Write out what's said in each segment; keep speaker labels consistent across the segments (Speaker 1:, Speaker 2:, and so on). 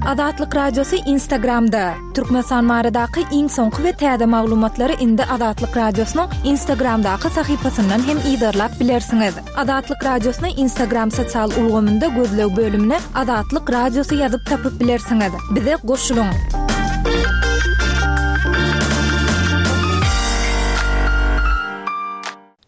Speaker 1: Azatlyk Radiosy Instagramda! Türkmenistan baradaky iň soňky we täze maglumatlary indi Azatlyk Radiosynyň Instagramdaky sahypasyndan hem yzarlap bilersiňiz. Azatlyk Radiosyny Instagram sosial ulgamynda gözleg bölümine Azatlyk Radiosy ýazyp tapyp bilersiňiz. Bize goşulyň!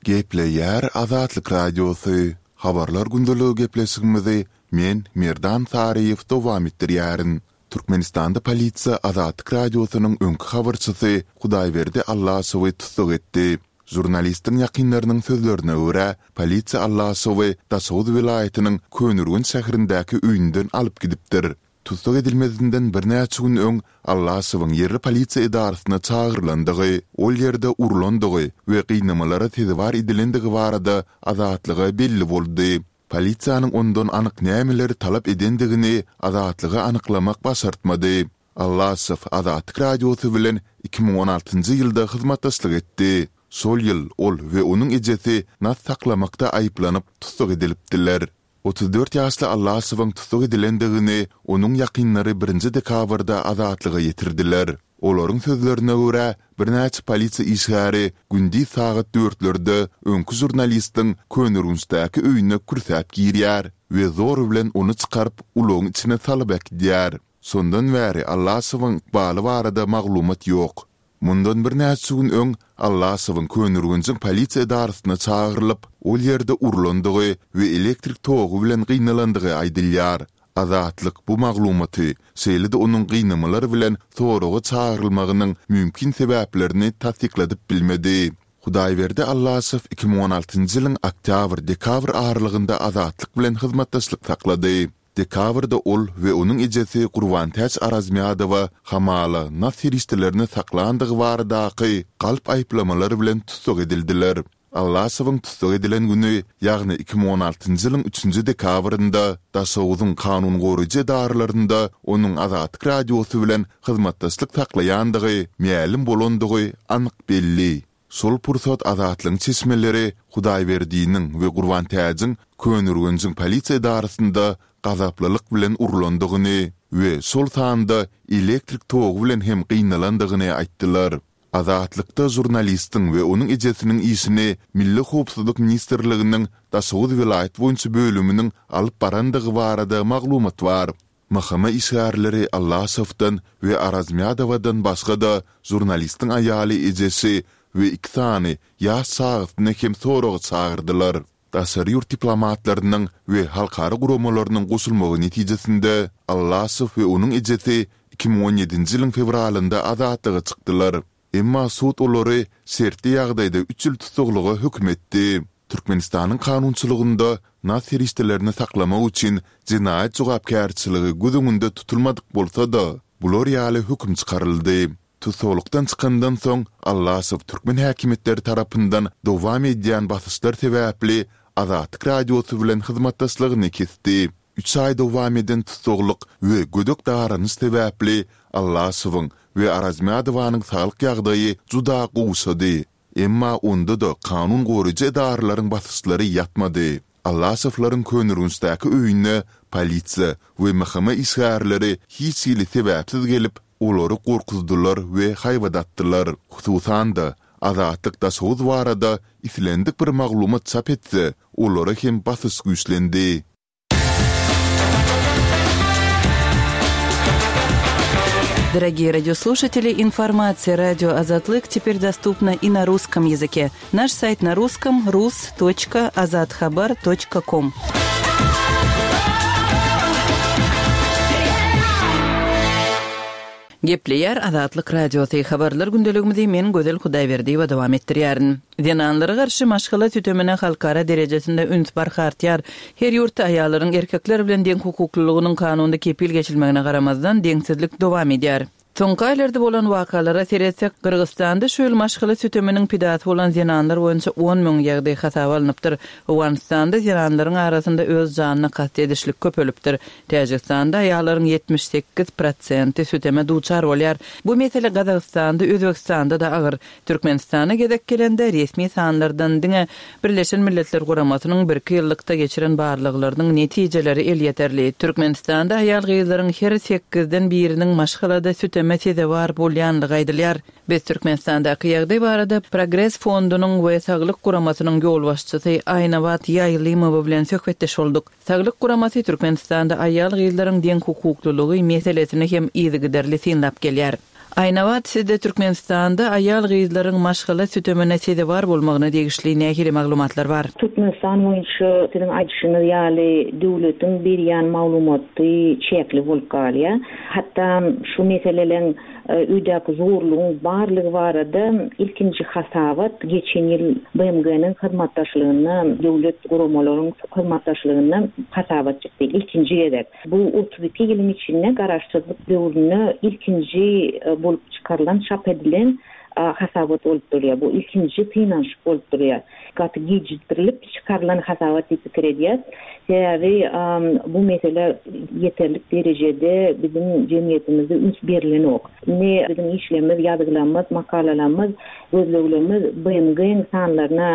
Speaker 2: Gepleýär Azatlyk Radiosy, Habarlar gündeligi gepleşigimizi men, Merdan Saryýew dowam etdirýärin. Türkmenistanda polisiýa Azatlyk Radiosynyň öňki habarçysy Hudaýberdi Allaşowy tussag etdi. Žurnalistiň ýakynlarynyň sözlerine görä, polisiýa Allaşowy Daşoguz welaýatynyň Köneürgenç şäherindäki öýünden alyp gidipdir. Tussag edilmezinden birnäçe gün öň Allaşowyň ýerli polisiýa edarasyna çagyrylandygy, ol ýerde urlandygy we gynamalara sezewar edilendigi barada Azatlyga belli boldy. Polisiýanyň ondan anyk nämeleri talap edendigini Azatlyga anyklamak başartmady. Allaşow Azatlyk Radiosy bilen 2016-njy ýylda hyzmatdaşlyk etdi. Şol ýyl ol we onuň ejesi nas saklamakda aýyplanyp, tussag edilipdiler. 34 ýaşly Allaşowyň tussag edilendigini onuň ýakynlary birinji dekabrda Azatlyga ýetirdiler. Olaryň sözlerine görä, birnäçe polisiýa işgäri gündiz sagat dörtlerde öňki žurnalistiň Köneürgençdäki öýüne kürsäp girýär we zor bilen ony çykaryp, ulagyň içine salyp äkidýär. Şondan bäri Allaşowyň ykbaly barada maglumat ýok. Mundan birnäçe gün öň Allaşowyň Köneürgenjiň polisiýa edarasyna çagyrylyp, ol ýerde urlandygy we elektrik togy bilen gynalandygy aýdylýar. Azatlyk bu maglumaty, şeýle-de onuň gynamalar bilen soraga çagyrylmagynyň mümkin sebäplerini tassykladyp bilmedi. Hudaýberdi Allaşow 2016-njy ýylyň oktýabr-dekabr aralygynda Azatlyk bilen hyzmatdaşlyk saklady. Dekabrda ol we onuň ejesi Gurbantäç Arazmýadowa hamala nas serişdelerini saklandygy baradaky galp aýyplamalar bilen tussag edildiler. Allaşowyň tussag edilen güni, ýagny 2016-njy ýylyň üçünji dekabrynda Daşoguzyň kanun goraýjy edaralarynda onuň Azatlyk Radiosy bilen hyzmatdaşlyk saklaýandygy mälim bolandygy anyk belli. Şol pursat Azatlygyň çeşmeleri Hudaýberdiniň we Gurbantäjiň Köneürgenjiň polisiýa edarasynda gazaplylyk bilen urlandygyny we şol sanda elektrik togy bilen hem gynalandygyny aýtdylar. Azatlykda žurnalistiň we onuň ejesiniň işini Milli howpsuzlyk ministrliginiň Daşoguz welaýat boýunça bölüminiň alyp barandygy barada maglumat bar. MHM işgärleri Allaşowdan we Arazmýadowadan başga-da žurnalistiň aýaly ejesi we iki sany ýaş çagasyny hem soraga çagyrdylar. Daşary ýurt diplomatlarynyň we halkara guramalarynyň goşulmagy netijesinde Allaşow we onuň ejesi 2017-nji ýylyň fewralynda azatlyga çykdylar. Emma sud olary şertli ýagdaýda üç ýyl tussaglyga höküm etdi. Türkmenistanyň kanunçylygynda nas serişdelerini saklamak üçin jenaýat jogapkärçiligi göz öňünde tutulmadyk bolsa-da, bular ýaly höküm çykaryldy. Tussaglykdan çykandan soň, Allaşow türkmen häkimiýetleri tarapyndan dowam edýän basyşlar sebäpli Azatlyk Radiosy bilen hyzmatdaşlygyny kesdi. Üç aý dowam eden tussaglyk we gödek daranyş sebäpli Allaşowyň we Arazmyadowanyň saglyk ýagdaýy juda gowşady. Emma onda-da kanun goraýjy edaralaryň basyşlary ýatmady. Allaşowlaryň Köneürgençdäki öýüne polisiýa we MHM işgärleri hiç hili sebäpsiz gelip, olary gorkuzdylar we haýbat atdylar. Hususan-da, Azatlyk Daşoguz barada islendik bir maglumat çap etse, olara hem basyş güýçlendi.
Speaker 3: Дорогие радиослушатели, информация радио Азатлык теперь доступна и на русском языке. Наш сайт на русском rus.azathabar.com. Gepleýär Azatlyk Radiosy, Habarlar gündeligimizi men Gözel Hudaýberdiýewa dowam etdirýärin. Zenanlara garşy maşgala sütemine halkara derejesinde üns barha artýar. Her ýurtda aýallaryň erkekler bilen deňhukuklylygynyň kanunda kepil geçilmegine garamazdan, deňsizlik dowam edýär. Soňky aýlarda bolan wakalara seretsek, Gyrgyzystanda şu ýyl maşgala süteminiň pidasy bolan zenanlar boýunça 10,000 ýagdaý hasaba alnypdyr. Owganystanda zenanlaryň arasynda öz janyna kast edişlik köpelipdir. Täjigistanda aýallaryň 78 prosenti süteme duçar bolýar. Bu mesele Gazagystanda, Özbegistanda-da agyr. Türkmenistana gezek gelende, resmi sanlardan diňe Birleşen Milletler Guramasynyň birki ýyllykda geçiren barlaglarynyň netijeleri elýeterli. Türkmenistanda aýal-gyzlaryň her sekizden biriniň maşgalada süteme sezewar bolýanlygy aýdylýar. Biz Türkmenistandaky ýagdaý barada Progres fondunyň we Saglyk guramasynyň ýolbaşçysy Aýnabat Ýaýlymowa bilen söhbetdeş bolduk. Saglyk guramasy Türkmenistanda aýal-gyzlaryň deňhukuklylygy meselesini hem yzygiderli synlap gelýär. Aýnabat, sizde Türkmenistanda aýal-gyzlaryň maşgala sütemine sezewar bolmagyna degişli nähili maglumatlar bar?
Speaker 4: Türkmenistan boýunça siziň aýdyşyňyz ýaly döwletiň berýän maglumaty çäkli bolup galýar. Hatda şu meseleleň öýdäki zorlugyň barlygy barada ilkinji hasabat geçen ýyl BMG-niň hyzmatdaşlygynda döwlet guramalaryň hyzmatdaşlygynda hasabat çykdy ilkinji gezek. Bu 32 ýylyň içinde garaşsyzlyk döwründe ilkinji bolup çykarylan, çap edilen hasabat bolup durýar. Bu ilkinji synanyşyk bolup durýar. Gaty gijikdirilip çykarylan hasabat diýip pikir edýäs. Sebäbi bu mesele ýeterlik derejede biziň jemgyýetimizde üns berilenok. Indi biziň işlerimiz, ýazgylarymyz, makalalarymyz, gözleglerimiz BMG-niň sanlaryna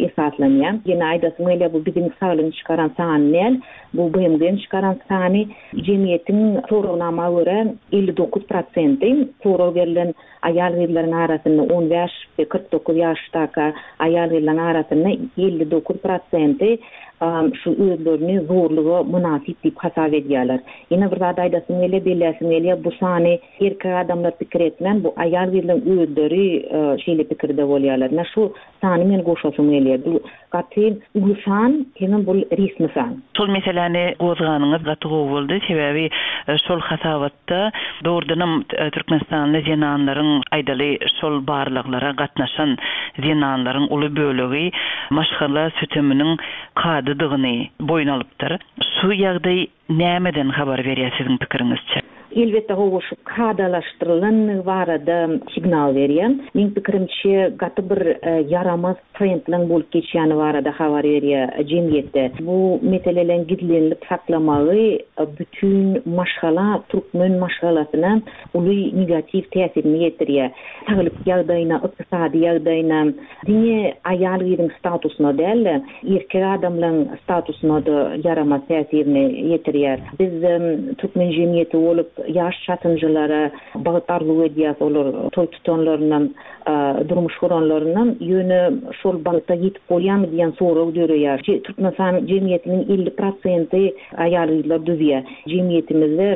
Speaker 4: esaslanýar. Ýene aýdasym gelýär, bu biziň saglygyň çykaran sany däl. Bu BMG-niň çykaran sany. Jemgyýetiň soragnama görä 59 prosenti sorag berlen aýal-gyzlaryň arasynda 15 we 49 ýaşdaka aýal-gyzlaryň arasynda 59 prosenti şu özlerini zorluga mynasyp diýip hasap edýärler. Ýene bir zat aýdasym gelýär, belläsim gelýär, bu sany erkek adamlar pikir etmän, bu aýal-gyzlaryň özleri şeýle pikirde bolýarlar. Ine şu sany men goşasym gelýär. Bu gaty uly san, hemem bul resmi san.
Speaker 3: Şol meseläni gozganyňyz gaty gowy boldy. Sebäbi şol hasabatda dogrudanam türkmenistanly zenanlaryň, aýdaly, şol barlaglara gatnaşan zenanlaryň uly bölegi maşgala süteminiň kadadygyny boýun alypdyr. Şu ýagdaý Nämeden habar berýär siziň pikiriňizçe?
Speaker 4: Elbetde hawa şu kadalaşdyrylanlygy barada signal berýär. Meň pikirimçe gaty bir ýaramaz trendleň bolup geçýäni barada habar berýär jemgyýetde. Bu meseleleň gizlenilip saklamagy bütin maşgala türkmen maşgalasyna uly negatiw täsirini ýetirýär. Saglyk ýagdaýyna, ykdysady ýagdaýyna, diňe aýal-gyzyň statusyna däl-de, erkek adamlaryň statusyna-da ýaramaz täsirini ýetirýär. Biz türkmen jemgyýeti bolup, ýaş çatynjylara bagt arzuw edýäris, olar toý tutanlaryndan, durmuş guranlaryndan, ýöne şol bagta ýetip bolýarmy diýen sorag döreýär. Türkmenistan jemgyýetiniň 50 prosenti aýal-gyzlar düzýär. Jemgyýetimizde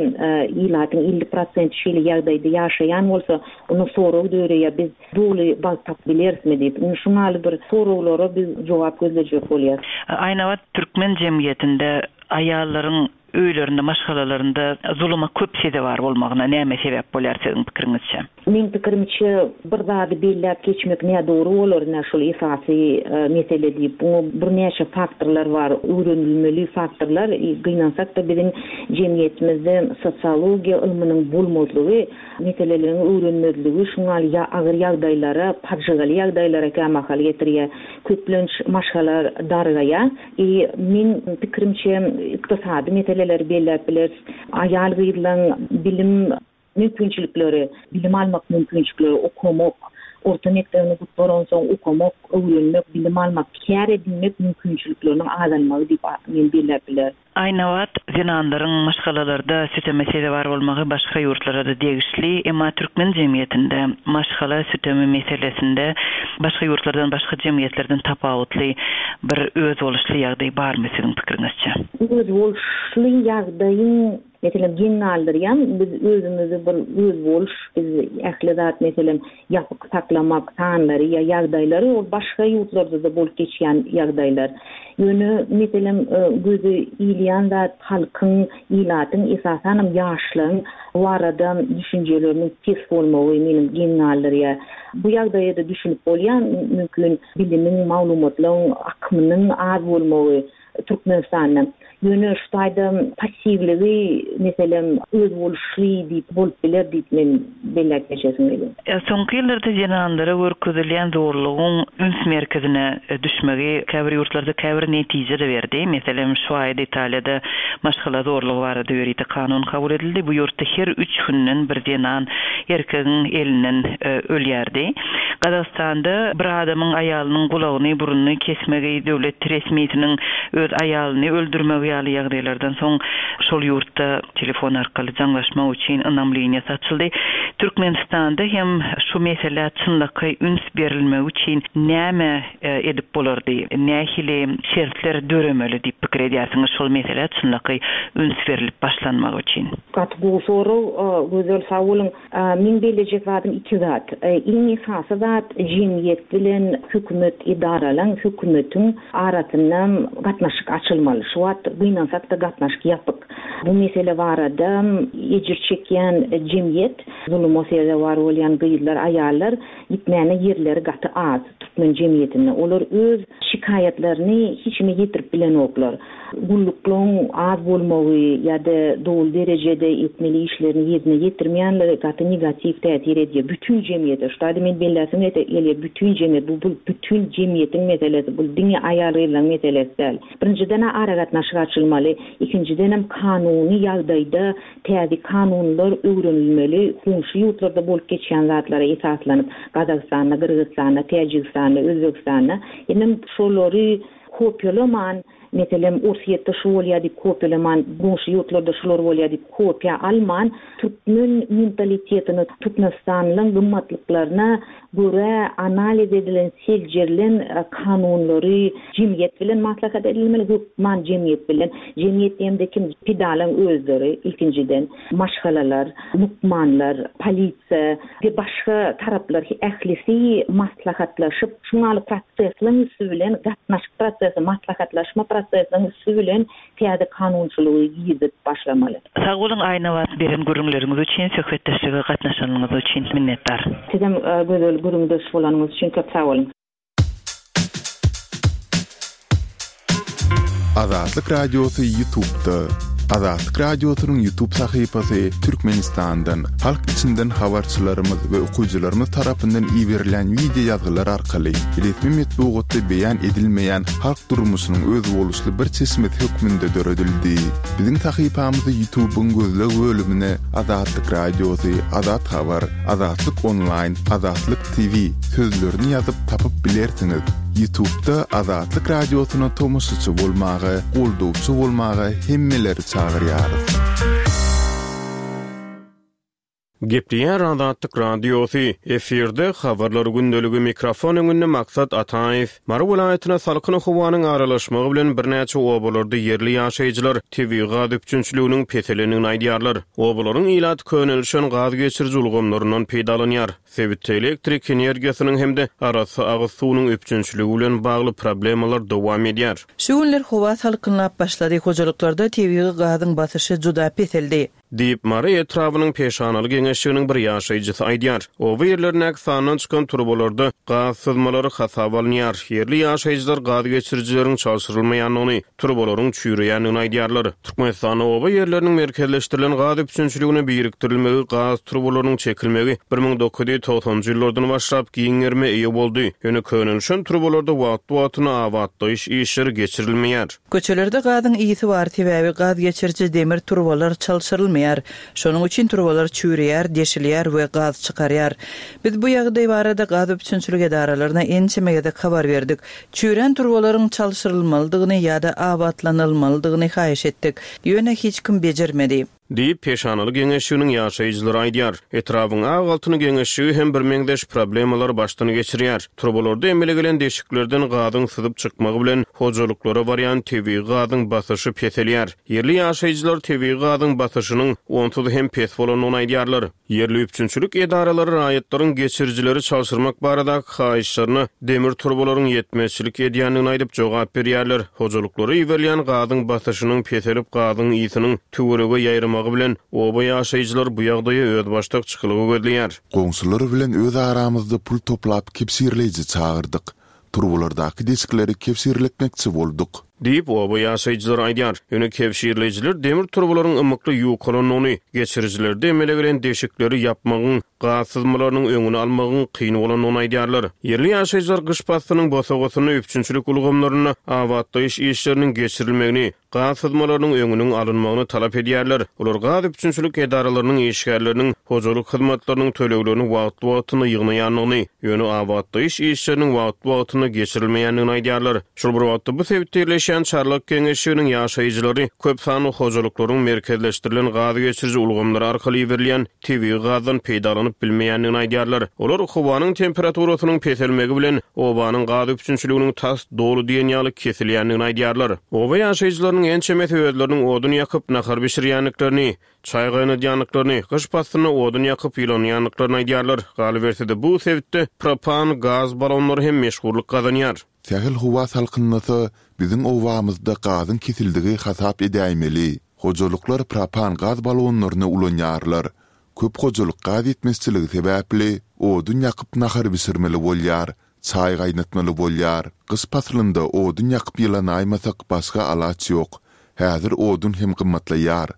Speaker 4: ilatyň 50 prosenti şeýle ýagdaýda ýaşaýan bolsa, onda sorag döreýär, biz doly bagt tapyp bilerismi diýip. Indi şuň ýaly bir soraglara biz jogap gözlejek bolýas.
Speaker 3: Aýnabat, türkmen jemgyýetinde aýallaryň öýlerinde, maşgalalarynda zuluma köp sezewar bolmagyna näme sebäp bolýar siziň pikiriňizçe?
Speaker 4: Meň pikirimçe, bir zady belläp geçmek nädogry bolar, ine şol esasy mesele diýip. Muňa birnäçe faktorlar bar, öwrenilmeli faktorlar. Gynansak-da biziň jemgyýetimizde sosiologiýa ylmynyň bolmazlygy, meseleleriň öwrenmezligi şuňa ýaly agyr ýagdaýlara, pajygaly ýagdaýlara kämahal getirýär. Köplenç maşgala dargaýar. I meň pikirimçe, ykdysady meseleleri belläp bileris. Aýal-gyzlaň bilim mümkinçilikleri, bilim almak mümkinçilikleri, okamak, orta mekdebini gutaransoň okamak, öwrenmek, bilim almak, kär edinmek mümkinçilikleriniň azalmagy diýip men belläp bilerin.
Speaker 3: Aýnabat, zenanlaryň maşgalalarda süteme sezewar bolmagy başga ýurtlara-da degişli, emma türkmen jemgyýetinde maşgala sütemi meselesinde başga ýurtlardan, başga jemgyýetlerden tapawutly bir özboluşly ýagdaý barmy siziň pikiriňizçe?
Speaker 4: Özboluşly ýagdaýyň Meselem, geň galdyrýan, biz özümizi bir özboluş, biz ähli zat, meselem, ýapyk saklamak, sanlary ýa ýagdaýlary, ol başga ýurtlarda-da bolup geçýän ýagdaýlar. Ýöne, meselem, göze ilýän zat halkyň, ilatyň, esasanam ýaşlaryň bu barada düşünjeleriniň pes bolmagy meni geň galdyrýar. Bu ýagdaýa-da düşünip bolýar, mümkin, bilimiň, maglumatlaryň akymynyň az bolmagy. Türkmenistanda. Ýöne şu taýda passiwligi, meselem, özboluşly diýip bolup biler diýip men belläp geçesim gelýär.
Speaker 3: Soňky ýyllarda zenanlara görkezilýän zorlugyň üns merkezine düşmegi käbir ýurtlarda käbir netije-de berdi. Meselem, şu aýda Italiýada maşgala zorlugy barada ýörite kanun kabul edildi. Bu ýurtda her üç günden bir zenan erkegiň elinden ölýärdi. Gazagystanda bir adamyň aýalynyň gulagyny, burnuny kesmegi, döwlet resmisiniň öz aýalyny öldürmegi ýaly ýagdaýlardan soň şol ýurtda telefon arkaly jaňlaşmak üçin ynam liniýasy açyldy. Türkmenistanda hem şu meselä çynlakaý üns berilmegi üçin näme edip bolardy, nähili şertler döremeli diýip pikir edýärsiňiz şol meselä çynlakaý üns berlip başlanmagy üçin?
Speaker 4: Gaty gowy sorag, Gözel sag boluň. Meň bellejek zadym iki zat. Iň esasy zat jemgyýet bilen hökümet edaralaň, hökümetiň arasynda gatnaşyk açylmaly. Şu wagt gynansak-da gatnaşyk ýapyk. Bu mesele barada ejir çekýän jemgyýet, zuluma sezewar bolýan gyzlar, aýallar gitmäne ýerleri gaty az türkmen jemgyýetinde. Olar öz şikaýatlaryny hiç kime ýetirip bilenoklar. Gulluklaryň az bolmagy ýa-da doly derejede etmeli işlerini ýerine ýetirmeýänligi gaty negatiw täsir edýär bütin jemgyýete. Şu taýda men belläsim gelýär, bütin jemgyýet, bu bu bütin jemgyýetiň meselesi, bu diňe aýal-gyzlaryň meselesi däl. Birinjiden-ä aragatnaşyk açylmaly, ikinjidenem kanuny ýagdaýda täze kanunlar öwrenilmeli, goňşy ýurtlarda bolup geçýän zatlara esaslanyp, Gazagystanda, Gyrgyzystanda, Täjigistanda, Özbegistanda, hemem şolary Kopiýalaman, meselem, Orsýetde şu bolýar diýip kopiýalaman, goňşy ýurtlarda şular bolýar diýip kopiýa alman, türkmen mentalitetine, türkmenistanlyň gymmatlyklaryna görä analiz edilen, seljerilen kanunlary jemgyýet bilen maslahat edilmeli, hökman jemgyýet bilen. Jemgyýet diýemde kim? Pidalaň özleri ilkinjiden, maşgalalar, lukmanlar, polisiýa we başga taraplar ählisi maslahatlaşyp, şuňaly prosesleň üsti bilen, gatnaşyk prosesi, maslahatlaşma prosesiniň üsti bilen täze kanunçylygy girizip başlamaly.
Speaker 3: Sag boluň Aýnabat beren gürrüňleriňiz üçin söhbetdeşlige gatnaşanyňyz üçin minnetdar.
Speaker 4: Sizem Gözel gürrüňdeş bolanyňyz üçin köp sag boluň.
Speaker 2: Azatlyk Radiosy Ýutubda. Azatlyk Radiosynyň Ýutub sahypasy Türkmenistandan, halk içinden habarçylarymyz we okyjylarymyz tarapyndan iberilýän wideo ýazgylar arkaly resmi metbugatda beýan edilmeýän halk durmuşynyň özboluşly bir çeşmesi hökmünde döredildi. Biziň sahypamyzy Ýutubyň gözleg bölümine Azatlyk Radiosy, Azat Habar, Azatlyk Onlaýn, Azatlyk TV sözlerini ýazyp tapyp bilersiňiz. Ýutubda Azatlyk Radiosyna tomaşaçy bolmaga, goldawçy bolmaga hemmeleri çagyrýarys.
Speaker 5: Gepleýär Azatlyk Radiosy, efirde Habarlar gündeligi, mikrofon öňünde Maksat Ataýew. Mary welaýatyna salkyn howanyň aralaşmagy bilen birnäçe obalarda ýerli ýaşaýjylar tebigy gaz üpjünçiliginiň peselendigini aýdýarlar. Obalaryň ilaty könelişen gaz geçiriji ulgamlaryndan peýdalanýar. Sebitde elektrik energiýasynyň hem-de arassa agyz suwunyň üpjünçiligi bilen bagly problemalar dowam edýär.
Speaker 3: Şu günler howa salkynlap başlady, hojalyklarda tebigy gazyň basyşy juda peseldi.
Speaker 5: Diýip, Mary etrabynyň Peşanaly geňeşliginiň bir ýaşaýjysy aýdýar. Oba ýerlerindäki sandan çykan turbalarda gaz syzmalary hasaba alynýar. Ýerli ýaşaýjylar gaz geçirijileriň çalşyrylmaýandygyny, turbalaryň çüýreýändigini aýdýarlar. Türkmenistanda oba ýerleriniň merkezleşdirilen gaz üpjünçiligine birikdirilmegi, gaz turbalarynyň çekilmegi 1990-njy ýyllardan başlap giň gerime eýe boldy. Ýöne könelişen turbalarda wagtly-wagtynda abatlaýyş işleri geçirilmeýär.
Speaker 3: Köçelerde gazyň ysy bar, sebäbi gaz geçiriji demir turbalar çalşyrylmaýar. Şonuň üçin turbalar çüýreýär, deşilýär we gaz çykarýar. Biz bu ýagdaý barada gaz üpjünçilik edaralaryna ençeme gezek habar berdik. Çüýrän turbalaryň çalşyrylmalydygyny ýa-da abatlanylmalydygyny haýyş etdik. Ýöne hiç kim bejermedi.
Speaker 5: Diýip, Peşanaly geňeşliginiň ýaşaýjylary aýdýar. Etrabyň Ak altyn geňeşligi hem birmeňzeş problemalary başdan geçirýär. Turbalarda emele gelen deşiklerden gazyň syzyp çykmagy bilen, hojalyklara barýan tebigy gazyň basyşy peselýär. Ýerli ýaşaýjylar tebigy gazyň basyşynyň onsuz hem pes bolandygyny aýdýarlar. Ýerli üpjünçilik edaralary raýatlaryň geçirijileri çalşyrmak baradaky haýyşlaryna demir turbalaryň ýetmezçilik edýändigini aýdyp jogap berýärler. Hojalyklara iberilýän gazyň basyşynyň peselip gazyň ysynyň töwerege ýaýramagy bilen oba ýaşaýjylary bu ýagdaýa özbaşdak çykalga gözleýär.
Speaker 2: Goňşular bilen öz aramyzda pul toplap kebşirleýji çagyrdyk. Turbalardaky deşikleri kebşirletmekçi bolduk.
Speaker 5: Diýip, oba ýaşaýjylary aýdýar. Ýöne kebşirleýjiler demir turbalaryň ymykly ýukalandygyny, geçirijilerde emele gelen deşikleri ýapmagyň, gaz syzmalarynyň öňüni almagyň kyn bolandygyny aýdýarlar. Ýerli ýaşaýjylar gyş paslynyň bosagasynda üpjünçilik ulgamlarynda abatlaýyş işleriniň geçirilmegini, gaz syzmalarynyň öňüniň alynmagyny talap edýärler. Olar gaz üpjünçilik edaralarynyň işgärleriniň hojalyk hyzmatlarynyň töleglerini wagtly-wagtynda ýygnaýandygyny, ýöne abatlaýyş işleriniň wagtly-wagtynda geçirilmeýändigini aýdýarlar. Şol bir wagtda, bu sebitde ýerleşýän Çarlak geňeşliginiň ýaşaýjylary köp sanly hojalyklaryň merkezleşdirilen gaz geçiriji ulgamlary arkaly iberilýän tebigy gazdan peýdalanyp bilmeýändigini aýdýarlar. Olar howanyň temperaturasynyň peselmegi bilen, obanyň gaz üpjünçiliginiň tas doly diýen ýaly kesilýändigini aýdýarlar. Oba ýaşaýjylarynyň ençemesi özleriniň odun ýakyp, nahar bişirýändiklerini, çaý gaýnadýandyklaryny, gyş paslynda odun ýakyp ýylanýandyklaryny aýdýarlar. Galyberse-de, bu sebitde propan gaz balonlary hem meşhurlyk gazanýar.
Speaker 2: Sähel howa salkynlasa, biziň obamyzda gazyň kesildigi hasap edäýmeli. Hojalyklar propan gaz balonlaryny ulanýarlar. Köp hojalyk gaz ýetmezçiligi sebäpli, odun ýakyp nahar bişirmeli bolýar, çaý gaýnatmaly bolýar. Gyş paslynda odun ýakyp ýylanaýmasak başga alaç ýok. Häzir odun hem gymmatlaýar.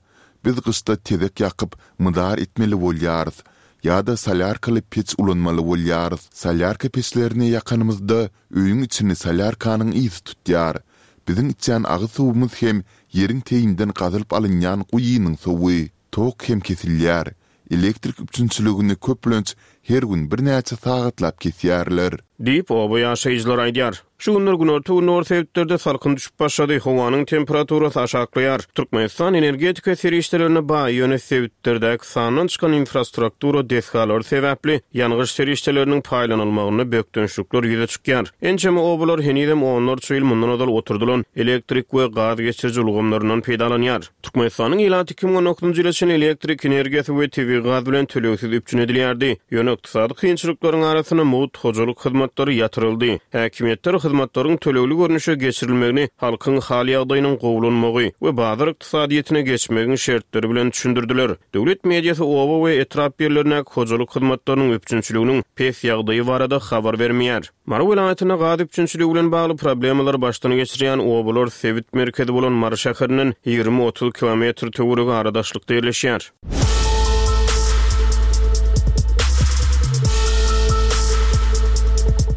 Speaker 2: Biz gyşda tezek ýakyp, mydar etmeli bolýarys. Ýa-da solýarkaly peç ulanmaly bolýarys. Solýarka peçlerini ýakanymyzda öýüň içini solýarkanyň ysy tutýar. Biziň içýän agyz suwumyz hem ýeriň teýinden gazylyp alynýan guýynyň suwy. Tok hem kesilýär. Elektrik üpjünçiligini köplenç her gün birnäçe sagatlap kesýärler.
Speaker 5: Diýip, oba ýaşaýjylary aýdýar. Şu günler günorta-gündogar sebitlerde salkyn düşüp başlady, howanyň temperaturasy aşaklaýar. Türkmenistan energetika serişdelerine baý, ýöne sebitlerdäki sandan çykan infrastruktura desgalary sebäpli ýangyç serişdeleriniň paýlanylmagynda bökdençlikler ýüze çykýar. Ençeme obalar henizem onlarça ýyl mundan ozal oturdylan elektrik we gaz geçiriji ulgamlaryndan peýdalanýar. Türkmenistanyň ilaty 2019-njy ýyla çenli elektrik energiýasy we tebigy gaz bilen tölegsiz üpjün edilýärdi. Ýöne ykdysady kynçylyklaryň arasynda mugt hojalyk hyzmatlary ýatyryldy. Häkimiýetler hyzmatlaryň tölegli görnüşe geçirilmegini halkyň hal-ýagdaýynyň gowulanmagy we bazar ykdysadyýetine geçmegiň şertleri bilen düşündirdiler. Döwlet mediasy oba we etrap ýerlerindäki hojalyk hyzmatlarynyň üpjünçiliginiň pes ýagdaýy barada habar bermeýär. Mary welaýatynda gaz üpjünçiligi bilen bagly problemalary başdan geçirýän obalar sebit merkezi bolan Mary şäherinden 20-30 kilometr töweregi ara daşlykda ýerleşýär.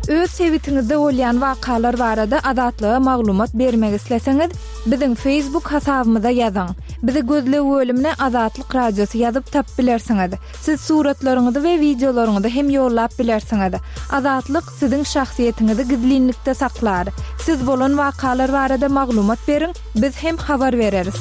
Speaker 1: Öz sebitiňizde bolýan wakalar barada Azatlyga maglumat bermek isleseňiz, biziň Facebook hasabymyza ýazyň. Bizi gözleg bölümine Azatlyk Radiosy ýazyp tapyp bilersiňiz. Siz suratlaryňyzy we wideolaryňyzy hem ýollap bilersiňiz. Azatlyk siziň şahsyýetiňizi gizlinlikde saklar. Siz bolan wakalar barada maglumat beriň, biz hem habar bereris.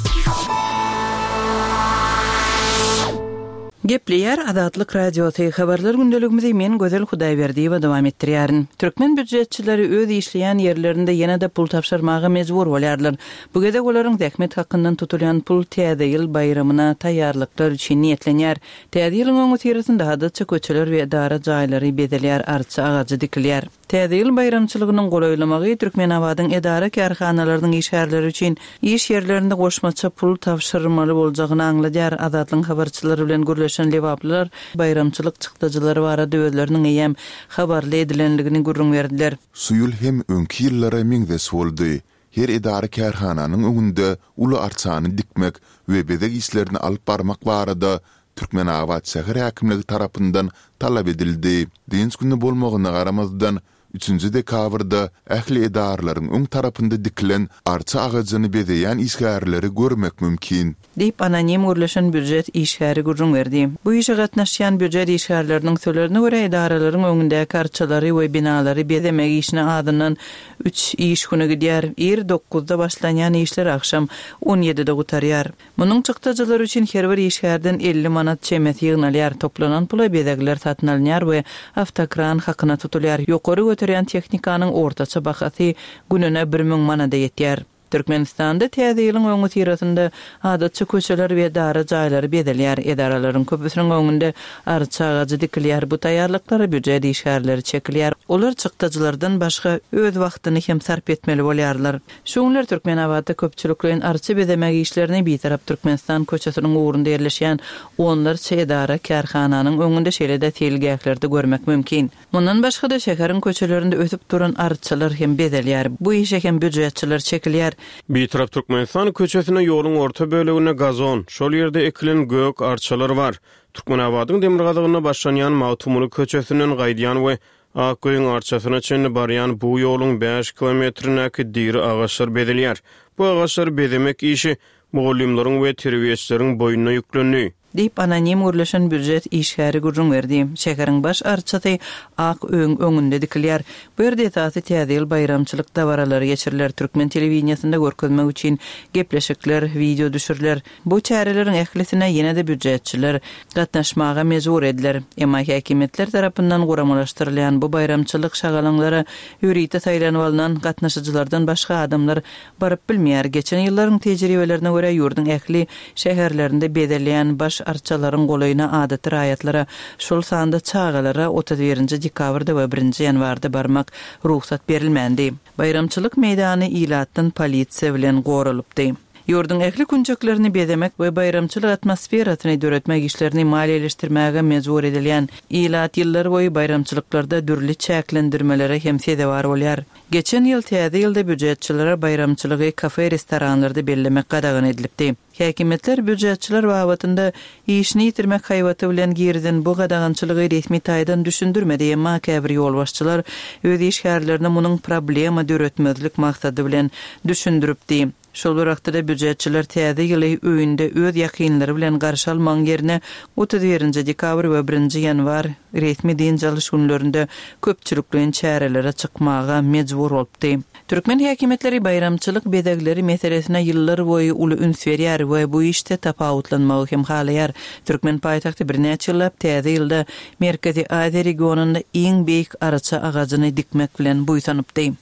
Speaker 3: Gepleýär Azatlyk Radiosy, Habarlar gündeligimizi men Gözel Hudaýberdiýewa dowam etdirýärin. Türkmen býujetçileri öz işleýän ýerlerinde ýene-de pul tabşyrmaga mejbur bolýarlar. Bu gezek olaryň zähmet hakyndan tutulýan pul Täze ýyl baýramyna taýýarlyklar üçin niýetlenýär. Täze ýylyň öňüsyrasynda adatça köçeler we edara jaýlary bezelýär, arça agajy dikilýär. Täze ýyl baýramçylygynyň golaýlamagy Türkmenabadyň edara-kärhanalarynyň işgärleri üçin iş ýerlerinde goşmaça pul tabşyrmaly boljagyny aňladýar. Azatlygyň habarçylary bilen gürleşen lebaplylar baýramçylyk çykdajylary barada özleriniň eýýäm habarly edilendigini gürrüň berdiler.
Speaker 2: Şu ýyl hem öňki ýyllara meňzeş boldy. Her edara-kärhananyň öňünde uly arçany dikmek we bezeg işlerini alyp barmak barada Türkmenabat şäher häkimligi tarapyndan talap edildi. Dynç güni bolmagyna garamazdan, üçünji dekabrda ähli edaralaryň öň tarapynda dikilen arça agajyny bezeýän işgärleri görmek mümkin.
Speaker 3: Diýip, anonim gürleşen býujet işgäri gürrüň berdi. Bu işe gatnaşýan býujet işgärleriniň sözlerine görä, edaralaryň öňündäki arçalary we binalary bezemek işine azyndan üç iş güni gidýär. Ir dokuzda başlanýan işler agşam on ýedide gutarýar. Munuň çykdajylary üçin her bir işgärden 50 manat çemesi ýygnalýar. Toplanan pula bezegler satyn alynýar we awtokran hakyna tutulýar. Ýokary göterýän tehnikanyň ortaça bahasy gününe 1000 manada ýetýär. Türkmenistanda Täze ýylyň öňüsyrasynda adatça köçeler we edara jaýlary bezelýär. Edaralaryň köpüsiniň öňünde arça agajy dikilýär. Bu taýýarlyklara býujet işgärleri çekilýär. Olar çykdajylardan başga öz wagtyny hem sarp etmeli bolýarlar. Şu günler Türkmenabatda köpçülikleýin arça bezemek işlerini Bitarap Türkmenistan köçesiniň ugrunda ýerleşýän onlarça edara, kärhananyň öňünde şeýle-de seýilgählerde görmek mümkin. Mundan başga-da, şäheriň köçelerinde ösüp duran arçalar hem bezelýär. Bu işe hem býujetçiler çekilýär.
Speaker 5: Bitarap Türkmenistan köçesinde ýoluň orta böleginde gazon, şol ýerde ekilen gök arçalar bar. Türkmenabadyň demirgazygynda başlanýan Magtymguly köçesinden gaýdýan we Ak öýüň arçasyna çenli barýan bu ýoluň bäş kilometrindäki diri agaçlar bezelýär. Bu agaçlary bezemek işi mugallymlaryň we terbiýeçileriň boýnuna ýüklendi.
Speaker 3: Diýip, anonim gürleşen býujet işgäri gürrüň berdi. Şäheriň baş arçasy Ak öýüň öňünde dikilýär. Bu ýerde esasy Täze ýyl baýramçylyk dabaralary geçiriler, türkmen telewideniýesinde görkezmek üçin gepleşikler, wideo düşüriler. Bu çäreleriň ählisine ýene-de býujetçiler gatnaşmaga mejbur ediler. Emma häkimiýetler tarapyndan guramalaşdyrylýan bu baýramçylyk şagalaňlara ýörite saýlanyp alnan gatnaşyjylardan başga adamlar baryp bilmeýär. Geçen ýyllaryň tejribelerine görä, ýurduň ähli şäherlerinde bezelýän baş arçalaryň golaýyna adaty raýatlara, şol sanda çagalara 31 nji dekabrda we birinji ýanwarda barmak rugsat berilmändi. Baýramçylyk meýdany ilatdan polisiýa bilen goralypdy. Ýurduň ähli künjeklerini bezemek we baýramçylyk atmosferasyny döretmek işlerini maliýeleşdirmäge mejbur edilýän ilat ýyllarboýy baýramçylyklarda dürli çäklendirmelere hem sezewar bolýar. Geçen ýyl Täze ýylda býujetçilere baýramçylygy kafe-restoranlarda bellemek gadagan edilipdi. Häkimiýetler býujetçiler babatynda işini ýitirmek haýbaty bilen girizen bu gadagançylygy resmi taýdan düşündirmedi, emma käbir ýolbaşçylar öz işgärlerine munuň problema döretmezlik maksady bilen düşündiripdi. Şol bir wagtda-da býujetçiler Täze ýyly öýünde öz ýakynlary bilen garşy almagyň ýerine 31 dekabr we birinji ýanwar resmi dynç alyş günlerinde köpçülikleýin çärelere çykmaga mejbur bolupdy. Türkmen häkimiýetleri baýramçylyk bezegleri meselesine ýyllarboýy uly üns berýär we bu işde tapawutlanmagy hem halaýar. Türkmen paýtagty birnäçe ýyllap Täze ýylda Merkezi Aziýa regionynda iň beýik arça agajyny dikmek bilen buýsanypdy.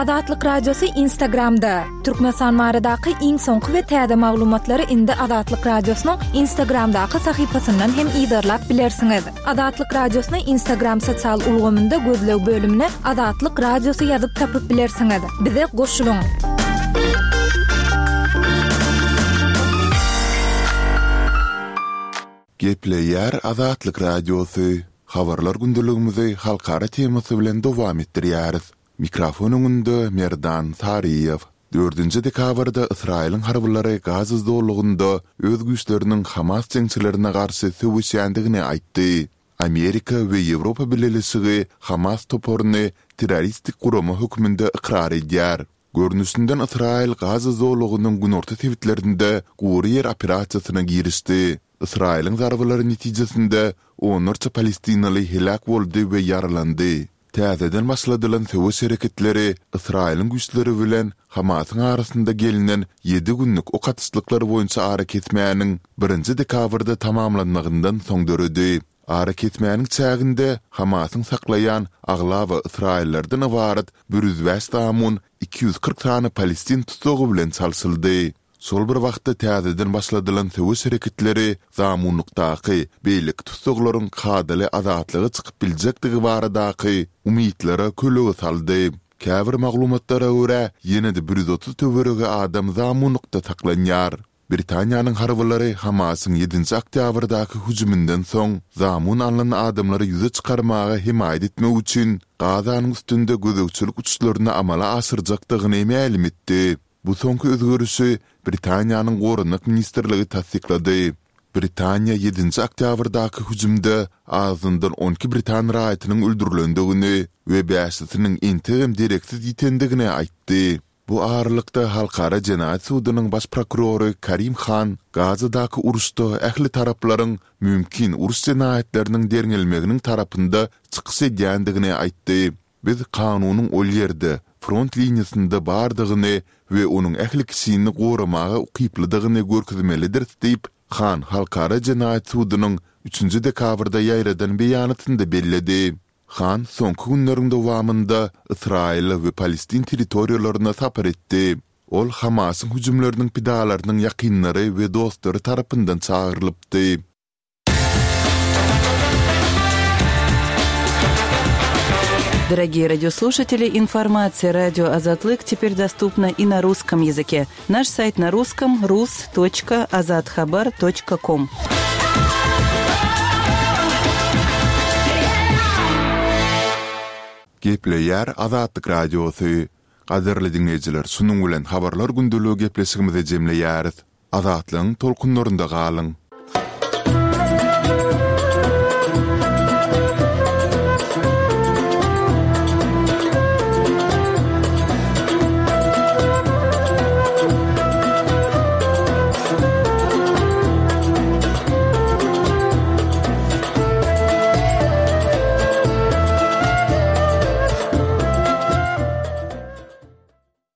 Speaker 1: Azatlyk Radiosy Instagramda, Türkmenistan baradaky iň soňky we täze maglumatlary indi Azatlyk Radiosynyň Instagramdaky sahypasyndan hem yzarlap bilersiňiz. Azatlyk Radiosyny Instagram sosial ulgamynda gözleg bölümine Azatlyk Radiosy ýazyp tapyp bilersiňiz. Bize goşulyň!
Speaker 2: Gepleýär Azatlyk Radiosy, Habarlar gündeligimizi halkara temasy bilen dowam etdirýäris. Mikrofon öňünde Merdan Saryýew. Dördünji dekabrda Ysraýylyň harbylary Gaza zolagynda öz güýçleriniň Hamas jeňçilerine garşy söweşýändigini aýtdy. Amerika we Ýewropa Bileleşigi Hamas toparyny terroristik gurama hökmünde ykrar edýär. Görnüşinden Ysraýyl Gaza zolagynyň günorta sebitlerinde gury ýer operasiýasyna girişdi. Ysraýylyň zarbalary netijesinde onlarça palestinaly heläk boldy we ýaralandy. Täzeden başladylan söweş hereketleri Ysraýylyň güýçleri bilen Hamasyň arasynda gelnen ýedi günlük ok atyşlyklar boýunça arakesmäniň birinji dekabrda tamamlanmagyndan soň döredi. Arakesmäniň çäginde Hamasyň saklaýan aglaba ysraýyllardan ybarat 105 zamun 240 sany palestin tussagy bilen çalşyldy. Şol bir wagtda täzeden başladylan söweş hereketleri zamunlykdaky beýleki tussaglaryň kadaly azatlyga çykyp biljekdigi baradaky umytlara kölege saldy. Käbir maglumatlara görä, ýene-de 130 töweregi adam zamunlykda saklanýar. Britaniýanyň harbylary Hamasyň ýedinji oktýabrdaky hüjüminden soň zamun alnan adamlary ýüze çykarmaga hemaýat etmek üçin Gazanyň üstünde gözegçilik uçuşlaryny amala aşyrjakdygyny mälim etdi. Bu soňky özgerişi Britaniýanyň Goranmak ministrligi tassyklady. Britaniýa ýedinji oktýabrdaky hüjümde azyndan 12 britan raýatynyň öldürilendigini we bäşisiniň entegem dereksiz ýitendigini aýtdy. Bu aralykda, Halkara jenaýat sudunyň baş prokurory Karim Han Gazadaky uruşda ähli taraplaryň mümkin uruş jenaýatlarynyň derňelmeginiň tarapynda çykyş edýändigini aýtdy. Biz kanunyň ol ýerde, front liniýasynda bardygyny we onuň ähli kişini goramaga ukyplydygyny görkezmelidiris diýip, Han Halkara jenaýat sudunyň üçünji dekabrda ýaýradan beýanatynda belledi. Han soňky günleriň dowamynda Ysraýyla we Palestin territoriýalaryna sapar etdi. Ol Hamasyň hüjümleriniň pidalarynyň ýakynlary we dostlary tarapyndan çagyrylypdy.
Speaker 3: Дорогие радиослушатели, информация радио Азатлык теперь доступна и на русском языке. Наш сайт на русском rus.azathabar.com.
Speaker 2: Gepleýär Azatlyk Radiosy. Gadyrly diňleýjiler, şunuň bilen Habarlar gündeligi gepleşigimizi jemleýäris. Azatlygyň tolkunlarynda galyň!